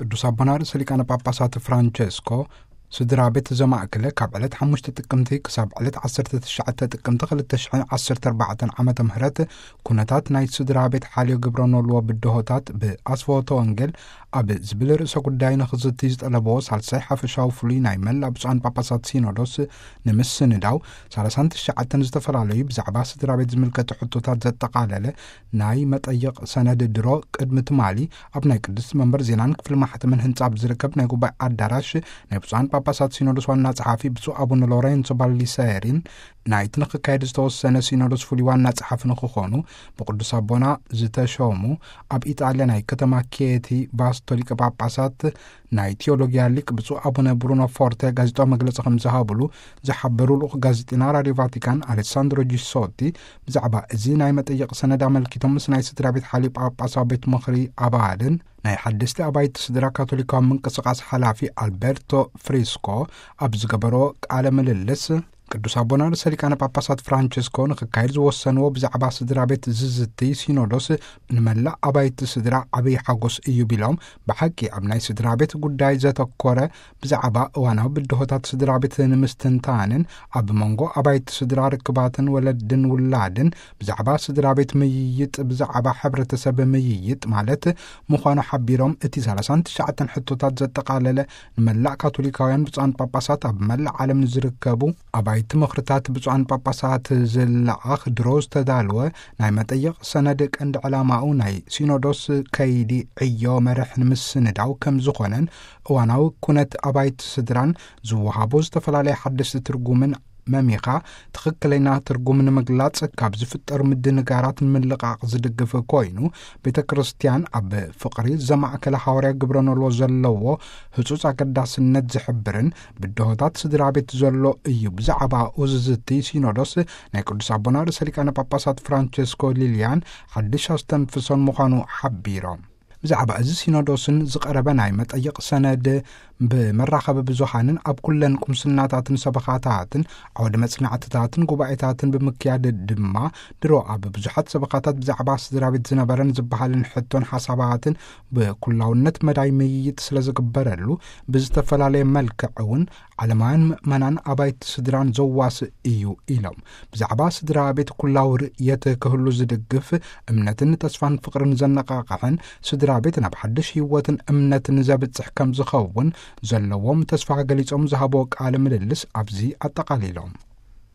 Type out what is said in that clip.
ቅዱስ ኣቦና ርእሰ ሊቃነ ጳጳሳት ፍራንቸስኮ ስድራ ቤት ዘማእከለ ካብ ዕለት ሓሙሽተ ጥቅምቲ ክሳብ ዕለት ዓሰርተ ትሽዓተ ጥቅምቲ ክልተ ሽሕን ዓሰርተ ኣርባዕተን ዓመተ ምህረት ኩነታት ናይ ስድራ ቤት ሓልዮ ግብረ ኖልዎ ብድሆታት ብኣስፈወቶ ወንጌል ኣብ ዝብል ርእሰ ጉዳይ ንኽዝቲ ዝጠለብዎ ሳልሳይ ሓፈሻዊ ፍሉይ ናይ መላእ ብፁዓን ጳጳሳት ሲኖዶስ ንምስንዳው ሰላሳን ትሽዓተን ዝተፈላለዩ ብዛዕባ ስድራ ቤት ዝምልከቱ ሕቶታት ዘጠቓለለ ናይ መጠይቕ ሰነድ ድሮ ቅድሚ ትማሊ ኣብ ናይ ቅድስቲ መንበር ዜናን ክፍሊ ማሕተምን ህንጻ ኣብ ዝርከብ ናይ ጉባኤ ኣዳራሽ ናይ ብፁዓን ጳጳሳት ሲኖዶስ ዋና ጸሓፊ ብፁዕ ኣቡነ ሎሬንሶ ባሊሰሪን ናይቲ ንክካየድ ዝተወሰነ ሲኖዶስ ፍሉይ ዋና ጸሓፊ ንክኾኑ ብቅዱስ ኣቦና ዝተሾሙ ኣብ ኢጣልያ ናይ ከተማ ኬቲ ባስቶ ሊቀ ጳጳሳት ናይ ቴዎሎጊያ ሊቅ ብፁዕ ኣቡነ ብሩኖ ፎርተ ጋዜጣዊ መግለጺ ከም ዝሃብሉ ዝሓበሩ ልኡኽ ጋዜጠና ራድዮ ቫቲካን ኣሌሳንድሮ ጂሶቲ ብዛዕባ እዚ ናይ መጠየቕ ሰነድ ኣመልኪቶም ምስ ናይ ስድራ ቤት ሓልዮ ጳጳሳዊ ቤት ምኽሪ ኣባልን ናይ ሓደስቲ ኣባይቲ ስድራ ካቶሊካዊ ምንቅስቃስ ሓላፊ ኣልበርቶ ፍሪስኮ ኣብ ዝገበሮ ቃለ ምልልስ ቅዱስ ኣቦና ርእሰ ሊቃነ ጳጳሳት ፍራንቸስኮ ንክካየድ ዝወሰንዎ ብዛዕባ ስድራ ቤት ዝዝቲ ሲኖዶስ ንመላእ ኣባይቲ ስድራ ዓብዪ ሓጎስ እዩ ቢሎም፣ ብሓቂ ኣብ ናይ ስድራ ቤት ጉዳይ ዘተኮረ ብዛዕባ እዋናዊ ብድሆታት ስድራ ቤት ንምስትንታንን ኣብ መንጎ ኣባይቲ ስድራ ርክባትን ወለድን ውላድን ብዛዕባ ስድራ ቤት ምይይጥ ብዛዕባ ሕብረተሰብ ምይይጥ ማለት ምዃኑ ሓቢሮም፣ እቲ ሰላሳን ትሽዓተን ሕቶታት ዘጠቓለለ ንመላእ ካቶሊካውያን ብፁዓን ጳጳሳት ኣብ መላእ ዓለም ንዝርከቡ ኣባይቲ ምኽርታት ብፁዓን ጳጳሳት ዝለኣኽ ድሮ ዝተዳለወ ናይ መጠይቕ ሰነድ ቀንዲ ዕላማኡ ናይ ሲኖዶስ ከይዲ ዕዮ መርሕ ንምስንዳው ከም ዝኾነን እዋናዊ ኩነት ኣባይቲ ስድራን ዝወሃቡ ዝተፈላለየ ሓደስቲ ትርጉምን መሚኻ ትኽክለኛ ትርጉም ንምግላጽ ካብ ዝፍጠሩ ምድንጋራት ንምልቓቕ ዝድግፍ ኮይኑ፣ ቤተ ክርስቲያን ኣብ ፍቕሪ ዘማእከለ ሃዋርያ ግብረ ኖልዎ ዘለዎ ህጹጽ ኣገዳስነት ዝሕብርን ብድሆታት ስድራ ቤት ዘሎ እዩ። ብዛዕባኡ ዝዝቲ ሲኖዶስ ናይ ቅዱስ ኣቦና ርእሰ ሊቃነ ጳጳሳት ፍራንቸስኮ ሊልያን ሓድሽ ኣስተንፍሶን ምዃኑ ሓቢሮም። ብዛዕባ እዚ ሲኖዶስን ዝቐረበ ናይ መጠይቕ ሰነድ ብመራኸቢ ብዙሃንን ኣብ ኩለን ቁምስናታትን ሰበኻታትን ዓውደ መጽናዕትታትን ጉባኤታትን ብምክያድ ድማ ድሮ ኣብ ብዙሓት ሰበኻታት ብዛዕባ ስድራ ቤት ዝነበረን ዝበሃልን ሕቶን ሓሳባትን ብኩላውነት መዳይ ምይይጥ ስለ ዝግበረሉ ብዝተፈላለየ መልክዕ እውን ዓለማውያን ምእመናን ኣባይቲ ስድራን ዘዋስእ እዩ ኢሎም። ብዛዕባ ስድራ ቤት ኩላዊ ርእየት ክህሉ ዝድግፍ እምነትን ተስፋን ፍቕርን ዘነቓቕሕን ስድራ ቤት ናብ ሓድሽ ህይወትን እምነትን ዘብጽሕ ከም ዝኸውን ዘለዎም ተስፋ ገሊጾም ዝሃብዎ ቃለ ምልልስ ኣብዚ ኣጠቓሊሎም።